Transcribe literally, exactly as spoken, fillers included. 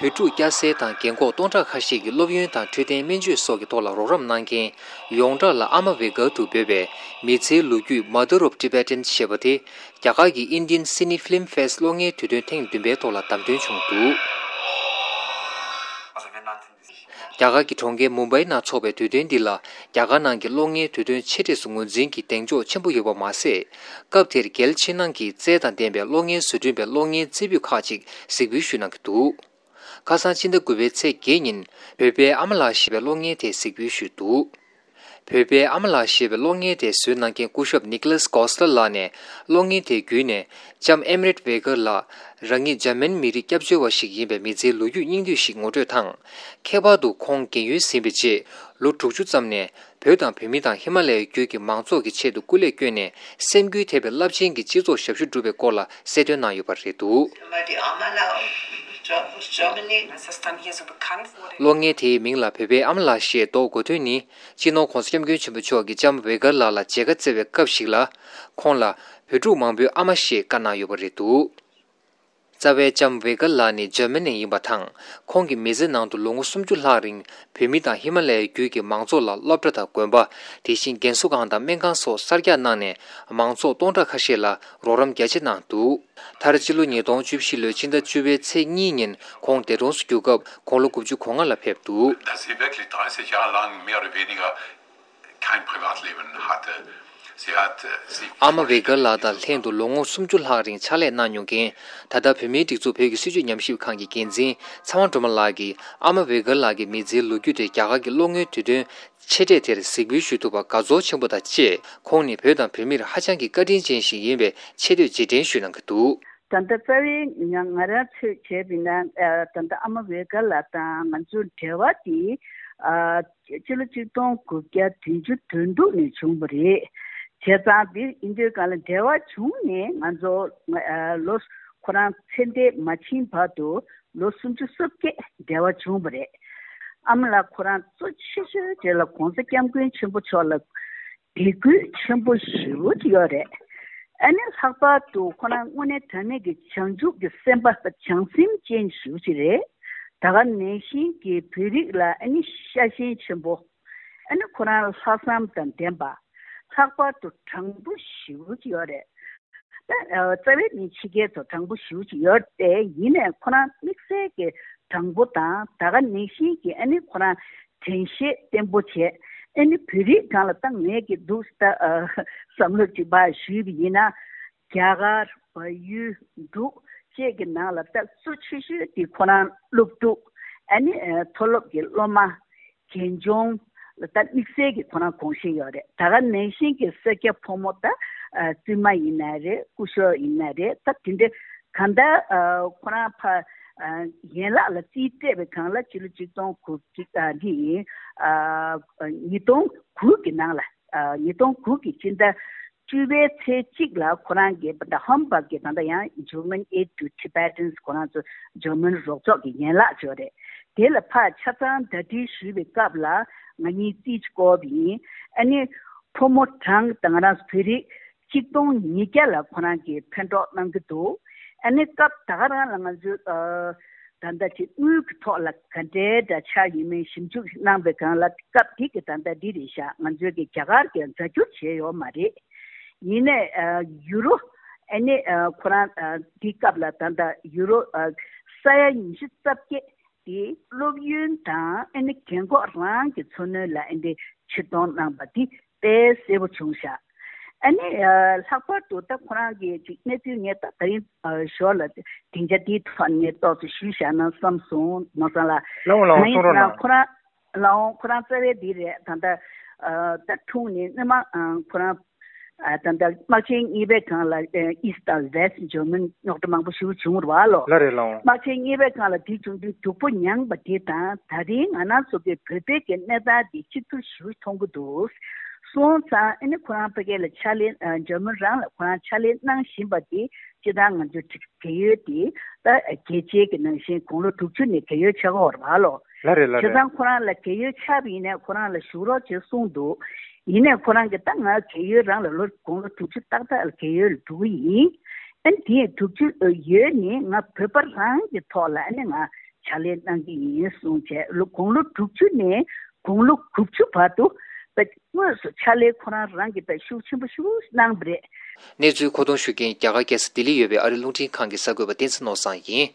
བོད་ཕྲུག་སྐྱ་སེར་དང་རྒན་འཁོགས་སྟོང་ཕྲག་ཁ་ཤས་ཀྱིས་སློབ་ཡོན་དང་འཕྲོད་བསྟེན་སྨན་བཅོས་སོགས་ཀྱི་ཐོག་ལ་རོགས་རམ་གནང་མཁན། ཡོངས་གྲགས་ལ་ཨ་མ་བྷེ་གྷལ་དུ་འབོད་པའི་མི་ཚེའི་ལོ་རྒྱུས་Mother of Tibetans ཞེས་པ་དེ། རྒྱ་གར་གྱི་Indian Cine Film Fest གློག་བརྙན་དུས་སྟོན་ཐེངས་བདུན་པའི་ཐོག་ལ་བདམས་ཐོན་བྱུང་འདུག་རྒྱ་གར་གྱི་གྲོང་ཁྱེར་མུམ་བྷའི་ནང་འཚོགས་པའི་དུས་སྟོན་འདི་ལ། རྒྱ་གར་ནང་གི་གློག་བརྙན་དུས་སྟོན་ཆེ་གྲས་སུ་ངོས་འཛིན་གྱི་གདེང་འཇོག་ཆེན་པོ་ཡོད་པ་མ་ཟད། སྐབས་དེར་རྒྱལ་ཕྱི་ནང་གི་རྩལ་དང་ལྡན་པའི་གློག་བརྙན་བཟོ་སྐྲུན་པའི་གློག་བརྙན་རྩེ་ཕུད་ཁག་ཅིག་གཟིགས་འབུལ་ཞུས་གནང་གི་འདུག་ཁ་སང་ཕྱི་ཟླ་དགུ་པའི་ཚེས་བརྒྱད་ཉིན། བོད་པའི་ཨ་མ་ལགས་ཞེས་པའི་གློག་བརྙན་དེ་གཟིགས་འབུལ་ཞུས་འདུག་བོད་པའི་ཨ་མ་ལགས་ཞེས་པའི་གློག་བརྙན་དེ་བཟོས་གནང་མཁན་སྐུ་ཞབས་Nicholas Coster ལགས་ནས། གློག་བརྙན་དེ་བརྒྱུད་ནས། ལྕམ་ཨེམ་རེད་ཝེ་གྷལ་ལགས། རང་ཉིད་འཇར་མན་མི་རིགས་སྐྱབས་བཅོལ་བ་ཞིག་ཡིན་པའི་མི་ཚེའི་ལོ་རྒྱུས་སྙིང་བསྡུས་ཤིག་ངོ་སྤྲོད་དང་། ཁྱད་པར་དུ་ཁོང་རྒན་ཡོལ་ཟིན་པའི་རྗེས། ལོ་དྲུག་ཅུ་ཙམ་ནས། བོད་དང་བོད་མི་དང་ཧི་མ་ལ་ཡའི་རྒྱུད་ཀྱི་མང་ཚོགས་ཀྱི་ཆེད་དུ་སྐུ་ལས་བསྐྱོན་ནས། སེམས་འགུལ་ཐེབས་པའི་རླབས་ཆེན་གྱི་སྤྱི་ཚོགས་ཞབས་ཞུ་བསྒྲུབས་པའི་སྐོར་ལ་གསལ་སྟོན་གནང་ཡོད་པ་རེད་འདུག་གློག་བརྙན་དེའི་མིང་ལ་བོད་པའི་ཨ་མ་ལགས་ཞེས་འདོགས་དགོས་དོན་ནི། སྤྱི་ནོར་༸གོང་ས་༸སྐྱབས་མགོན་ཆེན་པོ་མཆོག་གིས་ལྕམ་ཝེ་གྷལ་ལགས་ལ་མཇལ་ཁ་བསྩལ་བའི་སྐབས་ཤིག་ལ། ཁོང་ལ་བོད་ཕྲུག་མང་པོའི་ཨ་མ་ཞེས་བཀའ་གནང་ཡོད་པ་རེད་འདུག་རྩ་བའི་ལྕམ་ཝེ་གྷལ་ལགས་ནི་འཇར་མ་ནི་ནས་ཡིན་པ་དང་། ཁོང་གི་མི་ཚེ་ནང་དུ་ལོ་ངོ་སུམ་ཅུ་ལྷག་རིང་བོད་མི་དང་ཧི་མ་ལ་ཡའི་རྒྱུད་ཀྱི་མང་ཚོགས་ལ་སློབ་གྲྭ་དང་དགོན་པ། དེ་བཞིན་རྒན་གསོ་ཁང་དང་སྨན་ཁང་སོགས་གསར་རྒྱག་གནང་ནས། མང་ཚོགས་སྟོང་ཕྲག་ཁ་ཤས་ལ་རོགས་རམ་རྒྱ་ཆེ་གནང་འདུག་མཐར་སྤྱི་ལོ་ཉིས་སྟོང་བཅུ་བཞི་ལོའི་ཕྱི་ཟླ་བཅུ་པའི་ཚེས་གཉིས་ཉིན་ཁོང་འདས་གྲོངས་སུ་གྱུར་སྐབས་ཁོང་ལོ་དགུ་བཅུ་གོ་ལྔ་ལ་ཕེབས་འདུག Dass sie wirklich dreißig Jahre lang mehr oder weniger kein Privatleben hatte. Sie hat, äh, sie kein Privatleben ཕྱག་ལས་གནང་མྱོང་མཁན། ད་ལྟ་བོད་མིའི་སྒྲིག་འཛུགས་བོད་ཀྱི་སྲིད་བྱུས་ཉམས་ཞིབ་ཁང་གི་འགན་འཛིན་ཚེ་དབང་སྒྲོལ་མ་ལགས་ཀྱིས། ཨ་མ་ཝེ་གྷལ་ལགས་ཀྱི་མི་ཚེའི་ལོ་རྒྱུས་དེ་རྒྱ་གར་གྱི་གློག་བརྙན་དུས་སྟོན་ཆེ་གྲས་དེར་གཟིགས་འབུལ་ཞུ་ཐུབ་པར་དགའ་ཚོར་ཆེན་པོ་དང་བཅས། ཁོང་ནི་བོད་དང་བོད་མིར་ཧ་ཅང་གི་བཀའ་དྲིན་ཅན་ཞིག་ཡིན་པའི་ཆེ་བསྟོད་རྗེས་དྲན་ཞུས་གནང་གི་འདུག་ད་ལྟ་རྩ་བའི་ང་ང་རང་ཚོས་བྱས་པ་ཡིན་ན། ཨ་ད་ལྟ་ཨ་མ་ཝེ་གྷལ་ལགས་དང་ང་ཚོའི་འབྲེལ་བ་དེ། ཨ་སྤྱི་ལོ་གཅིག་སྟོང་དགུ་བརྒྱ་བདུན་ཅུ་དོན་དྲུག་ནས་བྱུང་བ་རེད། བྱས་ཙང་དེ་ཡིན་དུས་གང་ལ་འབྲེལ་བ་བྱུང་ནས་ང་ཚོ་ཨ་ལོ་ཁོ་རང་ཚེ་འདས་མ་ཕྱིན་བར་དུ་ལོ་སུམ་ཅུ་སོ་བརྒྱད་འབྲེལ་བ་བྱུང་བ་རེད། ཨ་མ་ལགས་ཁོ་རང་གཙོ་ཆེ་ཤོས་དེ་ལ་༸གོང་ས་༸སྐྱབས་མགོན་ཆེན་པོ་མཆོག་ལ་དད་གུས་ཆེན་པོ་ཞེ་པོ་ཅིག་ཡོད་རེད། ཨ་ནི་ལྷག་པར་དུ་ཁོ་རང་དངོས་གནས་དྲང་གནས་ཀྱི་བྱང་ཆུབ་ཀྱི་སེམས་པ་བྱང་སེམས་ཅན་ཞེ་པོ་ཅིག་རེད། ད་ག་ནང་བཞིན་གྱི་བོད་རིགས་ལ་ཨ་ནི་ཤ་ཞེན་ཆེན་པོ། ཨ་ནི་ཁོ་རང་ལྷག་བསམ་དང་ལྡན་པ། ལྷག་པར་དུ་དྲང་པོ་ཞེ་པོ་ཅིག་ཡོད་རེད། ད་ཨ་རྩ་བའི་ནི་ཕྱི་རྒྱལ་ཚོ་དྲང་པོ་ཞེ་པོ་ཅིག་ཡོད་དེ། ཡིན་ནའི་ཁོ་རང་དམིགས་བསལ་གྱི་དྲང་པོ་དང་། ད་ག་ནང་བཞིན་གྱི་ཨ་ནི་ཁོ་རང་དྲན་ཤེས་བརྟན་པོ་བྱས། ཨ་ནི་བོད་རིགས་སྒང་ལ་ད་ངས་ཀྱི་འདུག་ད་ཨ་བསམ་བློ་ཅིག་ཕར་ཞུས་པ་ཡིན་ན། རྒྱ་གར། བལ་ཡུལ། འབྲུག་བཅས་ཀྱི་ནང་ལ་ད་གཙོ་ཆེ་ཤོས་དེ་ཁོ་རང་སློབ་ཕྲུག་ཨ་ནི་ཨ་མཐོ་སློབ་ཀྱི་སློབ་མ། རྒན་གཞོན་ལ་ད་དམིགས་བསལ་གྱི་ཁོ་རང་དགོངས་བཞེས་ཡོད་རེད། ད་ག་ནང་བཞིན་གྱི་སེར་སྐྱ་ཕོ་མོ་ད་ཨ་བཙུན་མ་ཡིན་ན་རེད། སྐུ་ཞབས་ཡིན་ན་རེད། ད་དེ་འདྲ་གང་ལྟར་ཨ་ཁོ་རང་ཕར་ཨ་ཡན་ལག་ལ་རྩིས་སྤྲད་པའི་སྒང་ལ་ཕྱི་ལོ་གཅིག་སྟོང་དགུ་བརྒྱ་ཨ་འདི་ཡིན་ཨ་ཉིས་སྟོང་དགུ་གི་ནང་ལ་ཨ་ཉིས་སྟོང་དགུ་གི་སྤྱི་ཟླ་བཅུ་པའི་ཚེས་གཅིག་ལ་ཁོ་རང་གིས་ད་ཧམ་བྷག་གི་ད་ལྟ་ཡང་German Aid to Tibetans ཁོ་རང་ཚོ་འཇར་མན་རོགས་ཚོགས་ཀྱི་ཡན་ལག་ཅིག་ཡོད་རེད། དེ་ལ་ཕར་ཆ་ཚང་ཟླ་སྒྲིལ་ཞུས་པའི་སྐབས་ལ་ང་གཉིས་རྩིས་བསྐོར་བ་ཡིན། ཨ་ནི་ཕོ་མོ་གྲངས་ད་ང་རང་ཚོ་བོད་རིགས་གཅིག་སྟོང་ཉིས་བརྒྱ་ལ་ཁོ་རང་གིས་ཕན་གྲོགས་གནང་གི་འདུག་ཨ་ནི་སྐབས་ད་ག་རང་ལ་ང་ཚོས་ཨ། ད་ལྟ་ཅིག་དངུལ་གྱི་ཐོག་ལ་ག་འདྲའི་འདྲ་ཆགས་ཡོད་མེད་ཞིབ་འཇུག་གནང་པའི་སྒང་ལ་སྐབས་དེ་གི་ད་ལྟ་འདི་རེད་ཤག་ང་ཚོའི་གི་རྒྱ་གར་གྱི་རྫ་འགྱུར་བྱས་ཡོད་མ་རེད། ཡིན་ནའི་ཨ་ཡུ་རོ་ཨ་ནི་ཨ་ཁོ་རང་ཨ་འདི་སྐབས་ལ་ད་ལྟ་ཡུ་རོ་ཨ་ས་ཡ་ཉི་ཤུ་རྩ་བརྒྱད་དེ་སློབ་ཡོན་དང་ཨ་ནི་རྒན་འཁོགས་རང་གི་འཚོ་སྣོན་ལ་ཨ་འདི་ཕྱིར་གཏོང་གནང་པ་འདི་དཔེ་གསལ་པོ་བྱུང་ཤག་ཨ་ནི་ཨ་ལྷག་པར་དུ་ད་ཁོ་རང་གི་ཅིག་གནས་ཚུལ་ངས་ད་ད་རིང་ཨ་ཞོར་ལ་སྡིངས་ཆ་འདིའི་ཐོག་ནས་ཏོག་ཙམ་ཞུས་བཞག་ན་བསམ་སོང་། ནོར་བཟང་ལགས། ལགས་འོང་ལགས་འོང་། ད་ཡིན་གསུང་རོགས་ན་གནང་། ཁོ་རང་ལགས་འོང་། ཁོ་རང་རྩ་བའི་འདི་རེད། ད་ལྟ་ཨ་ད་འཁྲུངས་ནས་སྔོན་མ་ཨ་ཁོ་རང་ཨ་ད་ལྟ་དམག་ཆེན་གཉིས་པའི་སྒང་ལ་ཨ་East དང་West German རྙོག་དྲ་མང་པོ་ཞེ་པོ་བྱུང་བ་རེད་བ་ལོ། ལགས་རེད་ལགས་འོང་། དམག་ཆེན་གཉིས་པའི་སྒང་ལ་དེ་བྱུང་དུས་སྡུག་པོ་མྱངས་པ་དེ་དང་། ད་རིང་ང་རང་ཚོ་གི་བོད་པའི་གི་གནས་སྟངས་དེ་གཅིག་གྱུར་ཞེ་པོ་མཐོང་གི་འདུག་སོང་ཙང་ཨ་ནི་ཁོ་རང་ཕ་གི་ལ་ཕྱག་ལས་ཨ་འཇར་མན་རང་ལ་ཁོ་རང་ཕྱག་ལས་གནང་བཞིན་པ་དེ་སྤྱིར་བཏང་ང་ཚོ་རྒས་ཡོལ་དེ་ད་རྒས་ཆེ་གི་ནང་བཞིན་དགུང་ལོ་དྲུག་ཅུ་ནས་རྒས་ཡོལ་ཆགས་ཀྱི་ཡོད་རེད་བ་ལོ། ལགས་རེད་ལགས་བྱས་རེད། ཙང་ཁོ་རང་ལ་རྒས་ཡོལ་ཆགས་པ་ཡིན་ནའི་ཁོ་རང་ལ་བཞུགས་རོགས་བྱེད་གསུངས་འདུག་ཡིན་ནའི་ཁོ་རང་གིས་ད་ང་རྒས་ཡོལ་རང་ལ་ལོ་དགུང་ལོ་དྲུག་ཅུ་ཏག་ཏག་ལ་རྒས་ཡོལ་ལ་འགྲོ་གི་ཡིན། ཨ་ནི་དེ་དྲུག་ཅུ་ཡོལ་ནས་ང་བོད་པ་རང་གི་ཐོག་ལ་ཨ་ནི་ང་ ཕྱག་ལས་གནང་གི་ཡིན་གསུངས་བྱས། ལོ་དགུང་ལོ་དྲུག་ཅུ་ནས་དགུང་ལོ་དགུ་བཅུ་བར་དུ་དངོས་སུ་ཕྱག་ལས་ཁོ་རང་རང་གིས་ཤུགས་ཆེན་པོ་ཞིག་གནང་བ་རེད། གནས་ཚུལ་མཁོ་གཏོང་ཞུ་མཁན་རྒྱ་གར་རྒྱལ་ས་ལྡི་ལི་ཡོད་པའི་ཨ་རི་རླུང་འཕྲིན་ཁང་གི་གསར་འགོད་པ་བསྟན་འཛིན་ནོར་བཟང་ཡིན།